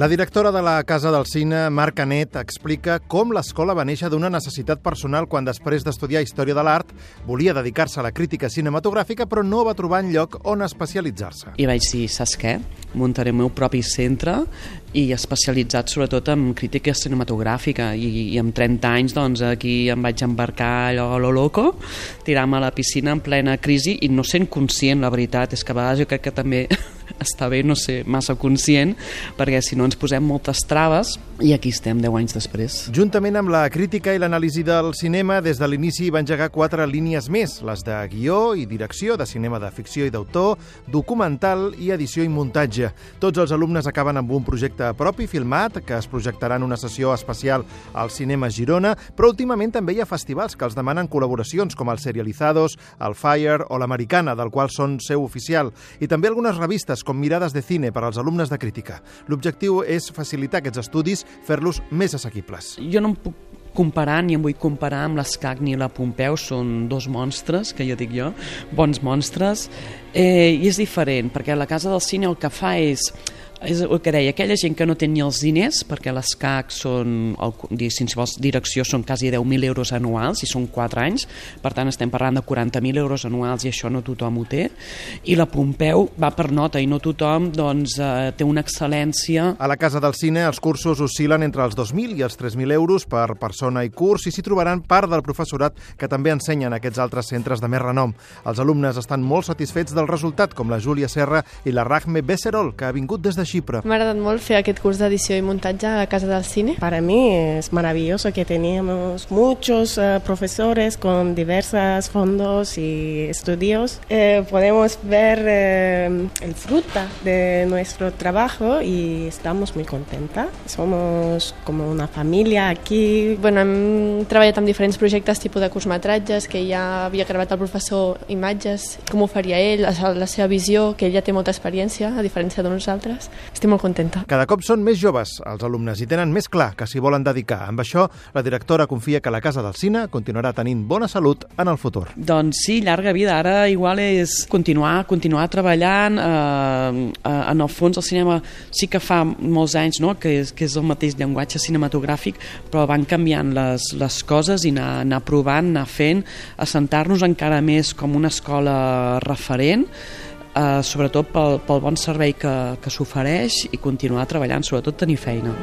La directora de la Casa del Cine, Mar Canet, explica com l'escola va néixer d'una necessitat personal quan, després d'estudiar Història de l'Art, volia dedicar-se a la crítica cinematogràfica, però no va trobar enlloc on especialitzar-se. I vaig dir, saps què? Muntaré el meu propi centre i especialitzat sobretot en crítica cinematogràfica i amb 30 anys doncs aquí em vaig embarcar allò a lo loco, tirar-me a la piscina en plena crisi i no sent conscient, la veritat és que a vegades jo crec que també està bé no ser massa conscient, perquè si no ens posem moltes traves i aquí estem 10 anys després. Juntament amb la crítica i l'anàlisi del cinema, des de l'inici va engegar 4 línies més, les de guió i direcció, de cinema de ficció i d'autor, documental i edició i muntatge. Tots els alumnes acaben amb un projecte propi filmat, que es projectarà en una sessió especial al Cinema Girona, però últimament també hi ha festivals que els demanen col·laboracions, com el Serializados, el Fire o l'Americana, del qual són seu oficial, i també algunes revistes com Mirades de Cine per als alumnes de crítica. L'objectiu és facilitar aquests estudis, fer-los més assequibles. Jo no em puc comparar, ni em vull comparar amb l'Escac ni la Pompeu, són dos monstres, que jo dic jo, bons monstres, i és diferent, perquè la Casa del Cine el que fa és el que deia, aquella gent que no té ni els diners, perquè les CAC són, si vols direcció, són quasi 10.000 euros anuals i són 4 anys, per tant estem parlant de 40.000 euros anuals i això no tothom ho té, i la Pompeu va per nota i no tothom doncs, té una excel·lència. A la Casa del Cine els cursos oscil·len entre els 2.000 i els 3.000 euros per persona i curs i s'hi trobaran part del professorat que també ensenyen aquests altres centres de més renom. Els alumnes estan molt satisfets del resultat, com la Júlia Serra i la Rahme Becerol, que ha vingut des de Xipre. M'ha agradat molt fer aquest curs d'edició i muntatge a la Casa del Cine. Para mí es maravilloso que teníamos muchos profesores con diversos fondos y estudios. Podemos ver el fruto de nuestro trabajo y estamos muy contentas. Somos como una familia aquí. Bueno, hem treballat amb diferents projectes tipus de curtmetratges, que ja havia gravat el professor imatges, com ho faria ell, la seva visió, que ell ja té molta experiència, a diferència de nosaltres. Estic molt contenta. Cada cop són més joves els alumnes i tenen més clar que s'hi volen dedicar. Amb això, la directora confia que la Casa del Cine continuarà tenint bona salut en el futur. Doncs sí, llarga vida. Ara igual és continuar treballant. En el fons el cinema sí que fa molts anys, no?, que és el mateix llenguatge cinematogràfic, però van canviant les coses i anar provant, anar fent, assentar-nos encara més com una escola referent, sobretot pel bon servei que s'ofereix i continuar treballant, sobretot tenir feina.